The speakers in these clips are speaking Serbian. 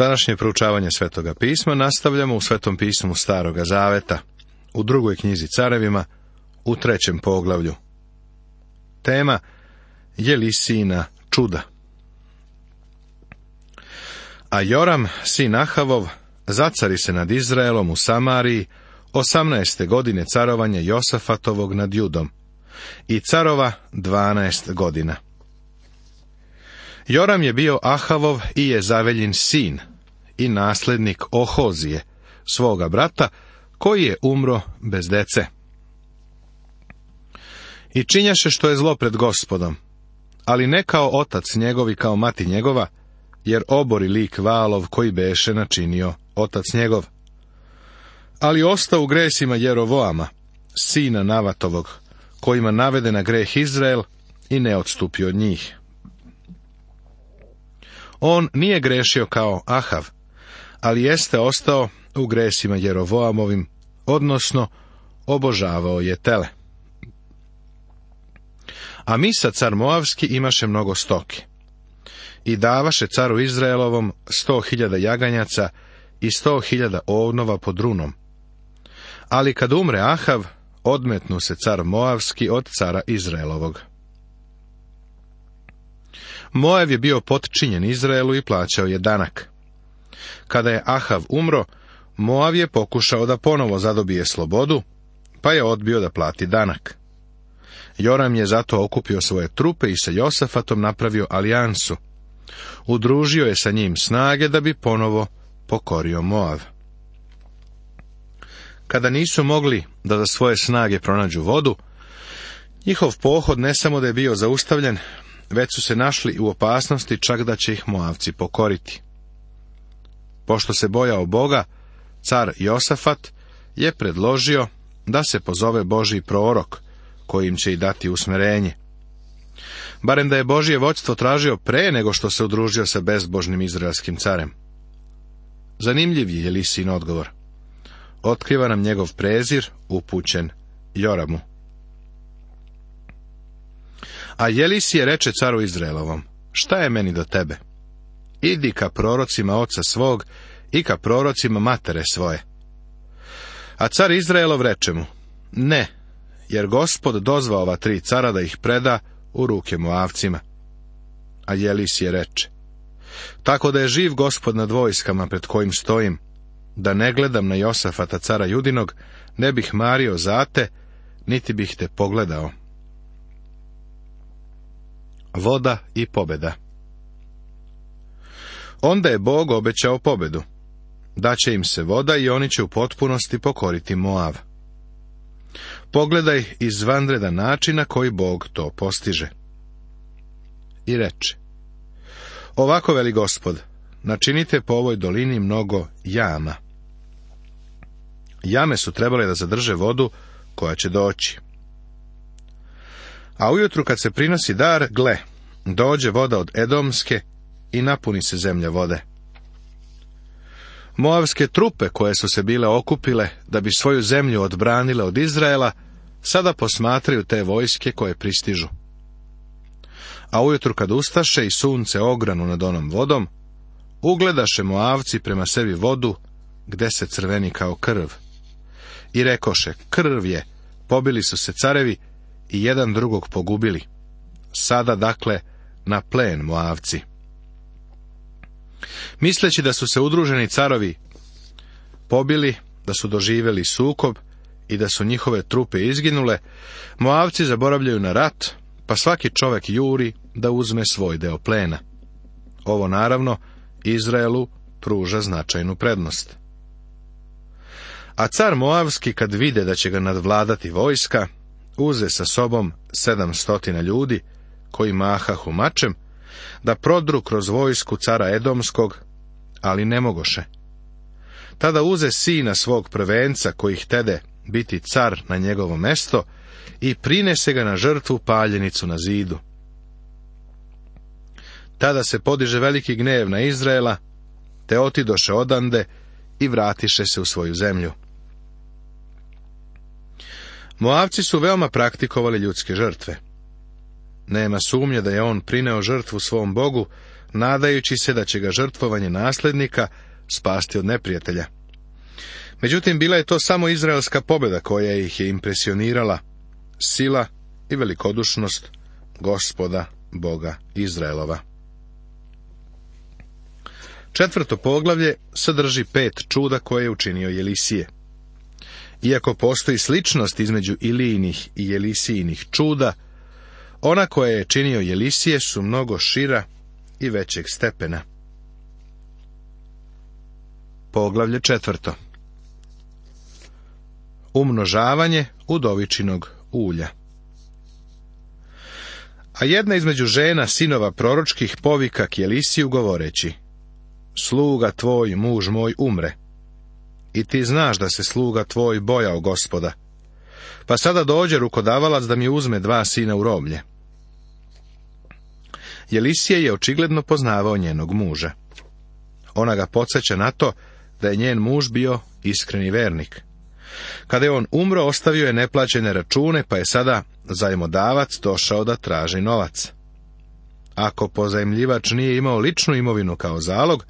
Današnje proučavanje Svetoga pisma nastavljamo u Svetom pismu Staroga Zaveta, u 2. knjizi Carevima, u 3. poglavlju. Tema Jelisijina čuda. A Joram, sin Ahavov, zacari se nad Izraelom u Samariji 18. godine carovanja Josafatovog nad Judom i carova 12 godina. Joram je bio Ahavov i Jezaveljin sin i naslednik Ohozije, svoga brata, koji je umro bez dece. I činjaše što je zlo pred Gospodom, ali ne kao otac njegov i kao mati njegova, jer obori lik Valov koji beše načinio otac njegov. Ali ostao u gresima Jerovoama, sina Navatovog, kojima navede na greh Izrael i ne odstupio od njih. On nije grešio kao Ahav, ali jeste ostao u gresima Jerovoamovim, odnosno obožavao je tele. A Misa, car Moavski, imaše mnogo stoke. I davaše caru Izraelovom 100.000 jaganjaca i 100.000 ovnova pod runom. Ali kad umre Ahav, odmetnu se car Moavski od cara Izraelovog. Moav je bio potčinjen Izraelu i plaćao je danak. Kada je Ahav umro, Moav je pokušao da ponovo zadobije slobodu, pa je odbio da plati danak. Joram je zato okupio svoje trupe i sa Josafatom napravio alijansu. Udružio je sa njim snage da bi ponovo pokorio Moav. Kada nisu mogli da za svoje snage pronađu vodu, njihov pohod ne samo da je bio zaustavljen, već su se našli u opasnosti čak da će ih Moavci pokoriti. Pošto se bojao Boga, car Josafat je predložio da se pozove Božji prorok, kojim će i dati usmerenje. Barem da je Božje vođstvo tražio pre nego što se udružio sa bezbožnim izraelskim carem. Zanimljiv je Jelisijin odgovor. Otkriva nam njegov prezir upućen Joramu. A Jelisije reče caru Izraelovom: šta je meni do tebe? Idi ka prorocima oca svog i ka prorocima matere svoje. A car Izraelov reče mu: ne, jer Gospod dozvao ova 3 cara da ih preda u ruke Moavcima. A Jelisije reče: tako da je živ Gospod nad vojskama pred kojim stojim, da ne gledam na Josafata cara Judinog, ne bih mario za te, niti bih te pogledao. Voda i pobeda. Onda je Bog obećao pobedu. Daće im se voda i oni će u potpunosti pokoriti Moav. Pogledaj izvanredan način na koji Bog to postiže. I reče: ovako veli Gospod, načinite po ovoj dolini mnogo jama. Jame su trebale da zadrže vodu koja će doći. A ujutru kad se prinosi dar, gle, dođe voda od Edomske i napuni se zemlja vode. Moavske trupe koje su se bile okupile da bi svoju zemlju odbranile od Izraela, sada posmatraju te vojske koje pristižu. A ujutru kad ustaše i sunce ogranu nad onom vodom, ugledaše Moavci prema sebi vodu, gde se crveni kao krv. I rekoše: krv je, pobili su se carevi i jedan drugog pogubili. Sada dakle na plen Moavci. Misleći da su se udruženi carovi pobili, da su doživjeli sukob i da su njihove trupe izginule, Moavci zaboravljaju na rat, pa svaki čovek juri da uzme svoj deo plena. Ovo naravno Izraelu pruža značajnu prednost. A car Moavski, kad vide da će ga nadvladati vojska, uze sa sobom 700 ljudi, koji mahahu mačem, da prodru kroz vojsku cara Edomskog, ali ne mogoše. Tada uze sina svog prvenca, koji htede biti car na njegovo mesto, i prinese ga na žrtvu paljenicu na zidu. Tada se podiže veliki gnev na Izraela, te otidoše odande i vratiše se u svoju zemlju. Moavci su veoma praktikovali ljudske žrtve. Nema sumnje da je on prineo žrtvu svom Bogu, nadajući se da će ga žrtvovanje nasljednika spasti od neprijatelja. Međutim, bila je to samo izraelska pobjeda koja ih je impresionirala, sila i velikodušnost Gospoda, Boga Izraelova. 4. poglavlje sadrži 5 čuda koje je učinio Jelisije. Iako postoji sličnost između Ilijinih i Jelisijinih čuda, ona koje je činio Jelisije su mnogo šira i većeg stepena. Poglavlje 4. Umnožavanje udovičinog ulja. A jedna između žena sinova proročkih povika k Jelisiju govoreći: sluga tvoj, muž moj, umre. I ti znaš da se sluga tvoj bojao Gospoda. Pa sada dođe rukodavalac da mi uzme 2 sina u roblje. Jelisije je očigledno poznavao njenog muža. Ona ga podsjeća na to da je njen muž bio iskreni vernik. Kada je on umro, ostavio je neplaćene račune, pa je sada zajmodavac došao da traži novac. Ako pozajmljivač nije imao ličnu imovinu kao zalog,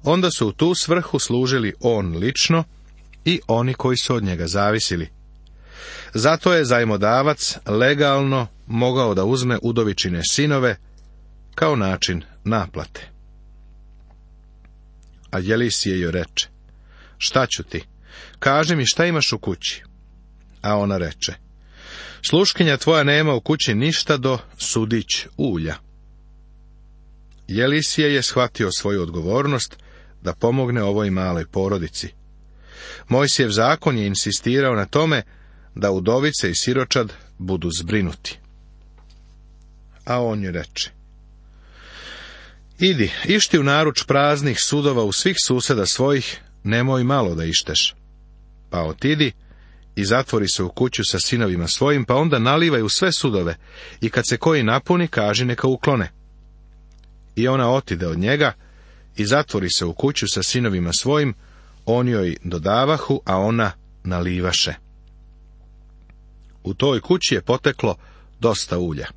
onda su u tu svrhu služili on lično i oni koji su od njega zavisili. Zato je zajmodavac legalno mogao da uzme udovičine sinove kao način naplate. A Jelisije joj reče: šta ću ti? Kaži mi šta imaš u kući. A ona reče: sluškinja tvoja nema u kući ništa do sudić ulja. Jelisije je shvatio svoju odgovornost da pomogne ovoj maloj porodici. Mojsijev zakon je insistirao na tome da udovice i siročad budu zbrinuti. A on joj reče: idi, išti u naruč praznih sudova u svih suseda svojih, nemoj malo da išteš. Pa otidi i zatvori se u kuću sa sinovima svojim, pa onda nalivaj u sve sudove i kad se koji napuni, kaži neka uklone. I ona otide od njega i zatvori se u kuću sa sinovima svojim, on joj dodavahu, a ona nalivaše. U toj kući je poteklo dosta ulja.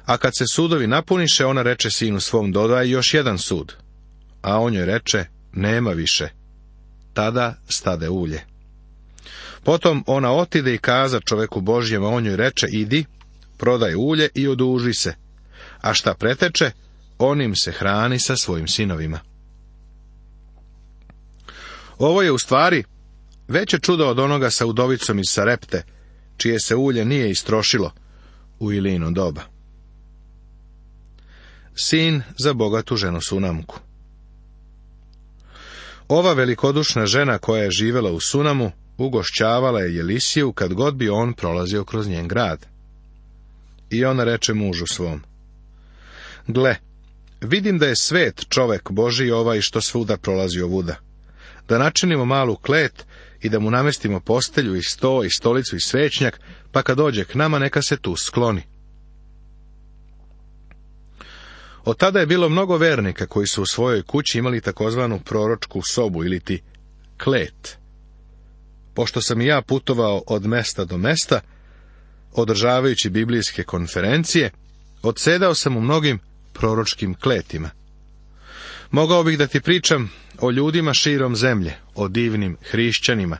A kad se sudovi napuniše, ona reče sinu svom: dodaj još jedan sud. A on joj reče: nema više. Tada stade ulje. Potom ona otide i kaza čoveku Božjem, a on joj reče: idi, prodaj ulje i oduži se, a šta preteče, onim se hrani sa svojim sinovima. Ovo je u stvari veće čudo od onoga sa udovicom iz Sarepte, čije se ulje nije istrošilo u Ilijino doba. Sin za bogatu ženu Sunamku. Ova velikodušna žena koja je živjela u Sunamu ugošćavala je Jelisiju kad god bi on prolazio kroz njen grad. I ona reče mužu svom: gle, vidim da je svet čovek Božji ovaj što svuda prolazi ovuda. Da načinimo malu klet i da mu namestimo postelju i sto i stolicu i svećnjak, pa kad dođe k nama neka se tu skloni. Od tada je bilo mnogo vernika koji su u svojoj kući imali takozvanu proročku sobu ili ti klet. Pošto sam i ja putovao od mesta do mesta, održavajući biblijske konferencije, odsedao sam u mnogim proročkim kletima. Mogao bih da ti pričam o ljudima širom zemlje, o divnim hrišćanima,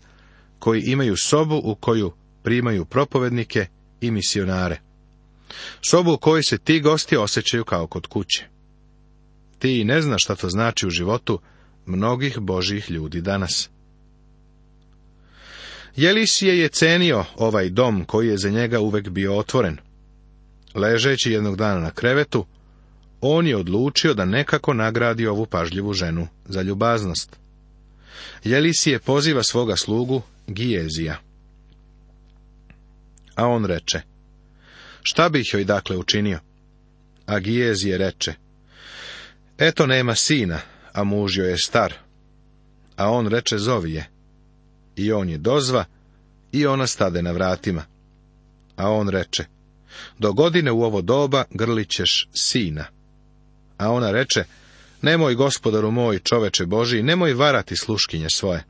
koji imaju sobu u koju primaju propovednike i misionare. Sobu u kojoj se ti gosti osjećaju kao kod kuće. Ti ne znaš šta to znači u životu mnogih Božjih ljudi danas. Jelisije je cenio ovaj dom koji je za njega uvek bio otvoren. Ležeći jednog dana na krevetu, on je odlučio da nekako nagradi ovu pažljivu ženu za ljubaznost. Jelisije poziva svoga slugu Gijezija. A on reče: šta bih joj dakle učinio? A Gijezije reče: eto nema sina, a muž joj je star. A on reče: zovi je. I on je dozva i ona stade na vratima. A on reče: do godine u ovo doba grlit ćeš sina. A ona reče: nemoj, gospodaru moj, čoveče Božji, nemoj varati sluškinje svoje.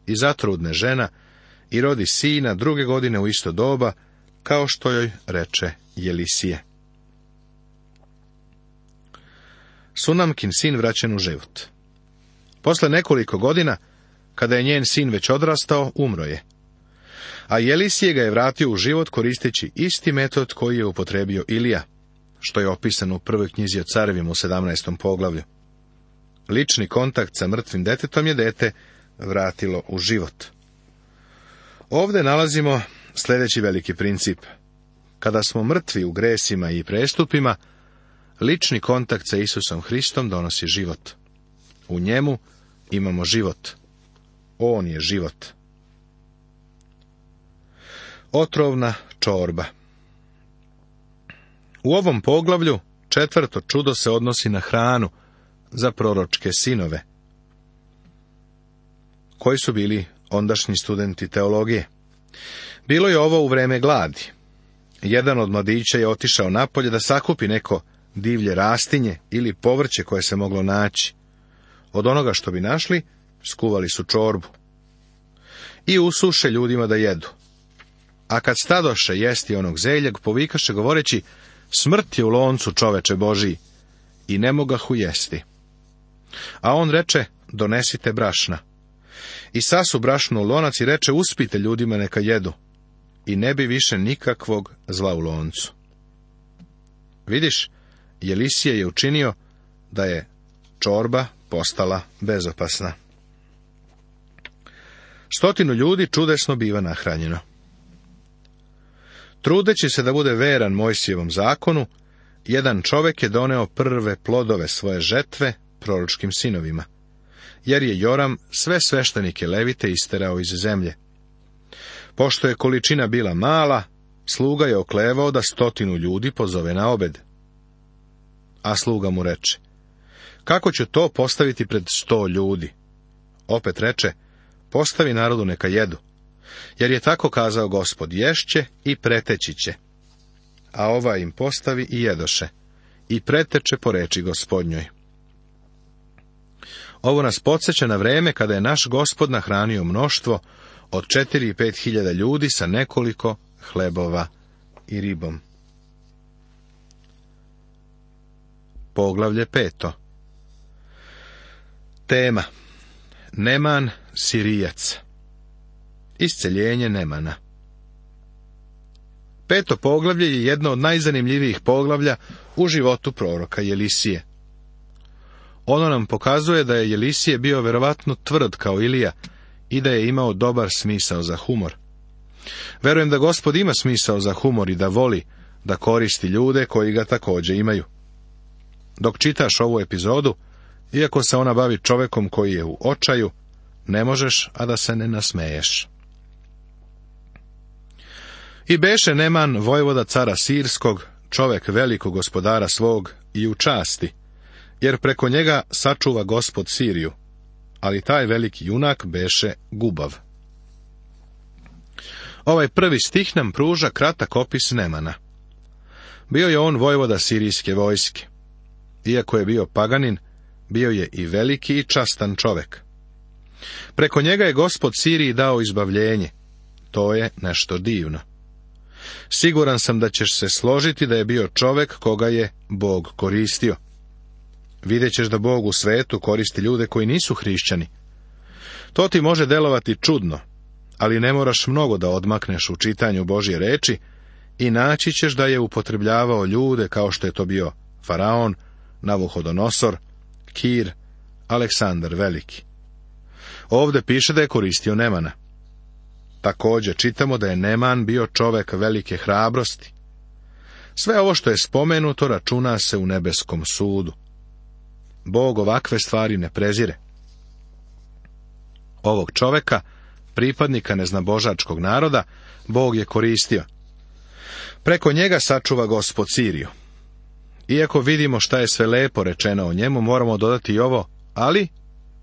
I zatrudne žena i rodi sina druge godine u isto doba, kao što joj reče Jelisije. Sunamkin sin vraćen u život. Posle nekoliko godina, kada je njen sin već odrastao, umro je. A Jelisije ga je vratio u život koristeći isti metod koji je upotrebio Ilija, što je opisano u prvoj knjizi o carevima u 17. poglavlju. Lični kontakt sa mrtvim detetom je dete vratilo u život. Ovdje nalazimo sljedeći veliki princip. Kada smo mrtvi u gresima i prestupima, lični kontakt sa Isusom Hristom donosi život. U njemu imamo život. On je život. Otrovna čorba. U ovom poglavlju 4. čudo se odnosi na hranu za proročke sinove, koji su bili ondašnji studenti teologije. Bilo je ovo u vreme gladi. Jedan od mladića je otišao napolje da sakupi neko divlje rastinje ili povrće koje se moglo naći. Od onoga što bi našli, skuvali su čorbu i usuše ljudima da jedu. A kad stadoše jesti onog zeljeg, povikaše govoreći: smrt je u loncu, čoveče Božiji, i ne mogahu jesti. A on reče: donesite brašna. I sasu brašno u lonac i reče: uspite ljudima neka jedu, i ne bi više nikakvog zla u loncu. Vidiš, Jelisije je učinio da je čorba postala bezopasna. 100 ljudi čudesno biva nahranjeno. Trudeći se da bude veran Mojsijevom zakonu, jedan čovjek je doneo prve plodove svoje žetve proročkim sinovima, jer je Joram sve sveštenike Levite isterao iz zemlje. Pošto je količina bila mala, sluga je oklevao da 100 ljudi pozove na obed. A sluga mu reče: kako ću to postaviti pred 100 ljudi? Opet reče: postavi narodu neka jedu, jer je tako kazao Gospod: ješće i preteći će. A ova im postavi i jedoše, i preteče po reči Gospodnjoj. Ovo nas podsjeća na vreme kada je naš Gospod nahranio mnoštvo od 4 i 5 hiljada ljudi sa nekoliko hlebova i ribom. Poglavlje 5. Tema: Neman Sirijac. Isceljenje Nemana. 5. poglavlje je jedno od najzanimljivijih poglavlja u životu proroka Jelisije. Ono nam pokazuje da je Jelisije bio verovatno tvrd kao Ilija i da je imao dobar smisao za humor. Verujem da Gospod ima smisao za humor i da voli da koristi ljude koji ga također imaju. Dok čitaš ovu epizodu, iako se ona bavi čovekom koji je u očaju, ne možeš a da se ne nasmeješ. I beše Neman vojvoda cara Sirskog, čovek velikog gospodara svog i u časti, jer preko njega sačuva Gospod Siriju, ali taj veliki junak beše gubav. Ovaj prvi stih nam pruža kratak opis Nemana. Bio je on vojvoda sirijske vojske. Iako je bio paganin, bio je i veliki i častan čovek. Preko njega je Gospod Siriji dao izbavljenje. To je nešto divno. Siguran sam da ćeš se složiti da je bio čovek koga je Bog koristio. Vidjet ćeš da Bog u svetu koristi ljude koji nisu hrišćani. To ti može delovati čudno, ali ne moraš mnogo da odmakneš u čitanju Božje reči i naći ćeš da je upotrebljavao ljude kao što je to bio Faraon, Navuhodonosor, Kir, Aleksandar Veliki. Ovdje piše da je koristio Nemana. Također čitamo da je Neman bio čovek velike hrabrosti. Sve ovo što je spomenuto računa se u nebeskom sudu. Bog ovakve stvari ne prezire. Ovog čoveka, pripadnika neznabožačkog naroda, Bog je koristio. Preko njega sačuva Gospod Siriju. Iako vidimo šta je sve lepo rečeno o njemu, moramo dodati i ovo: ali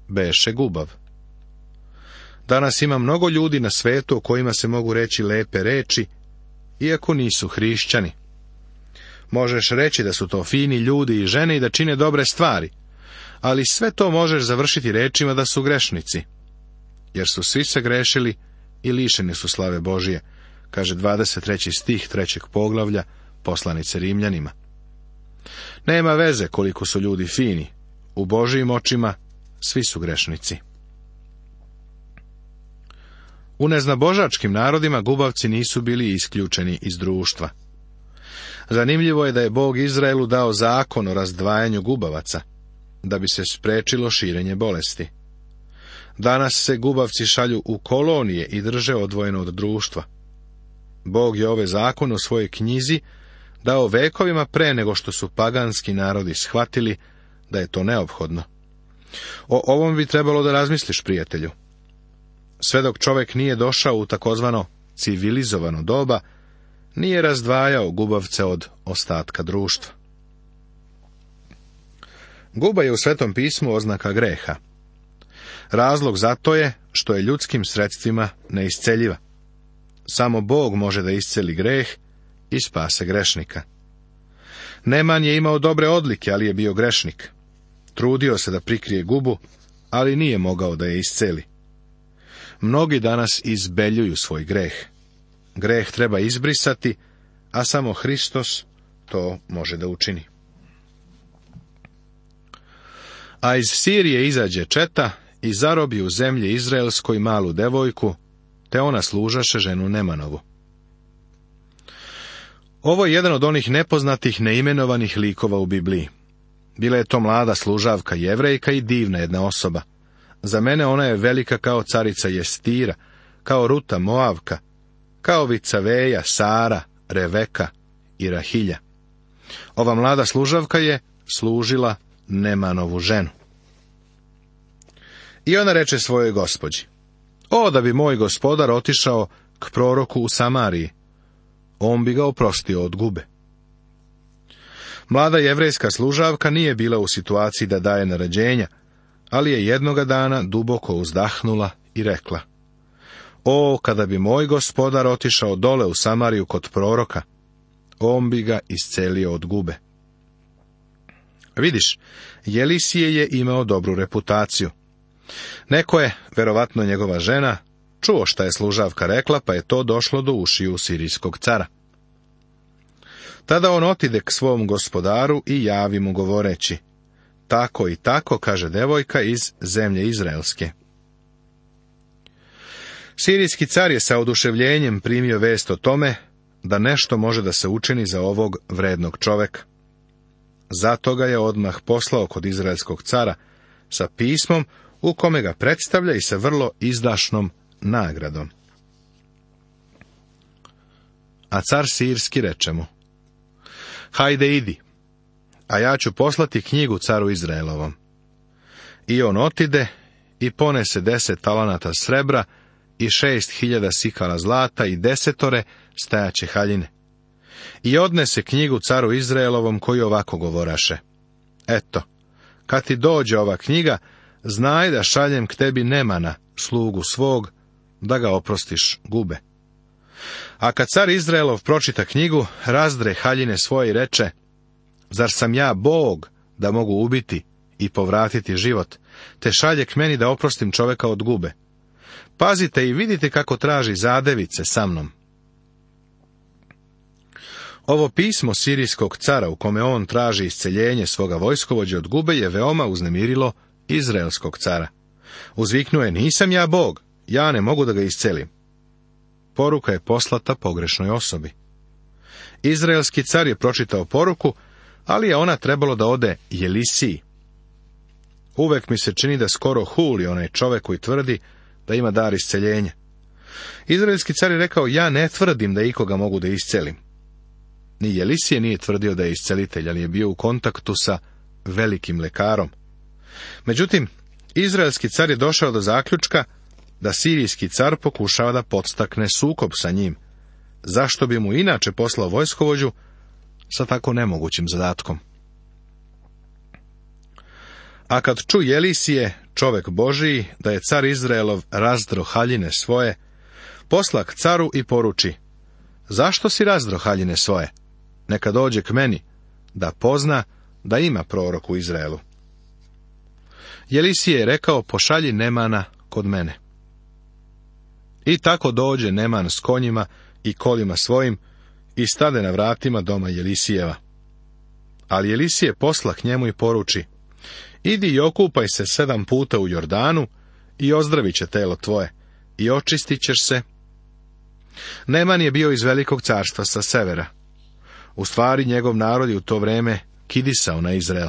beše gubav. Danas ima mnogo ljudi na svetu o kojima se mogu reći lepe reči, iako nisu hrišćani. Možeš reći da su to fini ljudi i žene i da čine dobre stvari, ali sve to možeš završiti rečima da su grešnici, jer su svi se grešili i lišeni su slave Božije, kaže 23. stih 3. poglavlja poslanice Rimljanima. Nema veze koliko su ljudi fini, u Božijim očima svi su grešnici. U neznabožačkim narodima gubavci nisu bili isključeni iz društva. Zanimljivo je da je Bog Izraelu dao zakon o razdvajanju gubavaca, da bi se spriječilo širenje bolesti. Danas se gubavci šalju u kolonije i drže odvojeno od društva. Bog je ove zakone u svojoj knjizi dao vekovima pre nego što su paganski narodi shvatili da je to neophodno. O ovom bi trebalo da razmisliš, prijatelju. Sve dok čovjek nije došao u takozvano civilizovano doba, nije razdvajao gubavce od ostatka društva. Guba je u Svetom pismu oznaka greha. Razlog za to je što je ljudskim sredstvima neisceljiva. Samo Bog može da isceli greh i spase grešnika. Neman je imao dobre odlike, ali je bio grešnik. Trudio se da prikrije gubu, ali nije mogao da je isceli. Mnogi danas izbeljuju svoj greh. Greh treba izbrisati, a samo Hristos to može da učini. A iz Sirije izađe četa i zarobi u zemlji izraelskoj malu devojku, te ona služaše ženu Nemanovu. Ovo je jedan od onih nepoznatih, neimenovanih likova u Bibliji. Bila je to mlada služavka Jevrejka i divna jedna osoba. Za mene ona je velika kao carica Jestira, kao Ruta Moavka, kao Vicaveja, Sara, Reveka i Rahilja. Ova mlada služavka je služila Nemanovu ženu. I ona reče svojoj gospođi: o, da bi moj gospodar otišao k proroku u Samariji, on bi ga oprostio od gube. Mlada jevrejska služavka nije bila u situaciji da daje naređenja, ali je jednoga dana duboko uzdahnula i rekla: o, kada bi moj gospodar otišao dole u Samariju kod proroka, on bi ga iscelio od gube. Vidiš, Jelisije je imao dobru reputaciju. Neko je, verovatno njegova žena, čuo šta je služavka rekla, pa je to došlo do ušiju sirijskog cara. Tada on otide k svom gospodaru i javi mu govoreći: tako i tako, kaže devojka iz zemlje izraelske. Sirijski car je sa oduševljenjem primio vest o tome da nešto može da se učini za ovog vrednog čoveka. Zato ga je odmah poslao kod izraelskog cara sa pismom u kome ga predstavlja i sa vrlo izdašnom nagradom. A car sirski reče mu: hajde idi, a ja ću poslati knjigu caru Izraelovom. I on otide i ponese 10 talanata srebra i 6.000 sikala zlata i 10 stajaće haljine. I odnese knjigu caru Izraelovom, koji ovako govoraše: eto, kad ti dođe ova knjiga, znaj da šaljem k tebi Nemana, slugu svog, da ga oprostiš gube. A kad car Izraelov pročita knjigu, razdre haljine svoje i reče: zar sam ja Bog da mogu ubiti i povratiti život, te šalje k meni da oprostim čoveka od gube? Pazite i vidite kako traži zadevice sa mnom. Ovo pismo sirijskog cara u kome on traži isceljenje svoga vojskovođe od gube je veoma uznemirilo izraelskog cara. Uzviknuo je: nisam ja Bog, ja ne mogu da ga iscelim. Poruka je poslata pogrešnoj osobi. Izraelski car je pročitao poruku, ali je ona trebalo da ode Jelisiji. Uvek mi se čini da skoro huli onaj čovek koji tvrdi da ima dar isceljenja. Izraelski car je rekao: ja ne tvrdim da ikoga mogu da iscelim. Ni Jelisije nije tvrdio da je iscelitelj, ali je bio u kontaktu sa velikim lekarom. Međutim, izraelski car je došao do zaključka da sirijski car pokušava da podstakne sukob sa njim. Zašto bi mu inače poslao vojskovođu sa tako nemogućim zadatkom? A kad ču Jelisije, čovek Božiji, da je car Izraelov razdro haljine svoje, posla k caru i poruči: zašto si razdro haljine svoje? Neka dođe k meni, da pozna da ima prorok u Izraelu. Jelisije je rekao: pošalji Nemana kod mene. I tako dođe Neman s konjima i kolima svojim i stade na vratima doma Jelisijeva. Ali Elisije posla k njemu i poruči: idi i okupaj se 7 puta u Jordanu i ozdravit će telo tvoje i očistit ćeš se. Neman je bio iz velikog carstva sa severa. U stvari njegov narod je u to vreme kidisao na Izrael.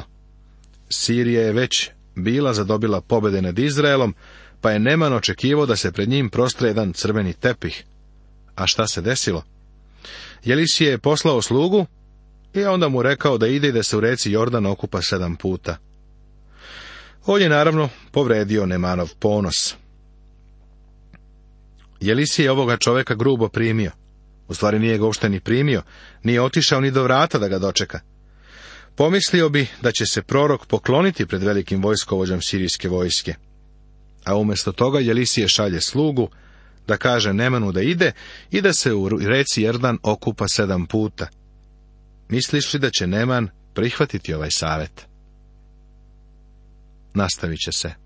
Sirija je već bila zadobila pobjede nad Izraelom, pa je Neman očekivao da se pred njim prostre jedan crveni tepih. A šta se desilo? Elisije je poslao slugu i onda mu rekao da ide i da se u reci Jordan okupa 7 puta. On je naravno povredio Nemanov ponos. Elisije je ovoga čoveka grubo primio. U stvari nije ga uopšte ni primio, nije otišao ni do vrata da ga dočeka. Pomislio bi da će se prorok pokloniti pred velikim vojskovođom sirijske vojske. A umjesto toga Elisije šalje slugu da kaže Nemanu da ide i da se u reci Jordan okupa 7 puta. Misliš li da će Neman prihvatiti ovaj savjet? Nastavit će se.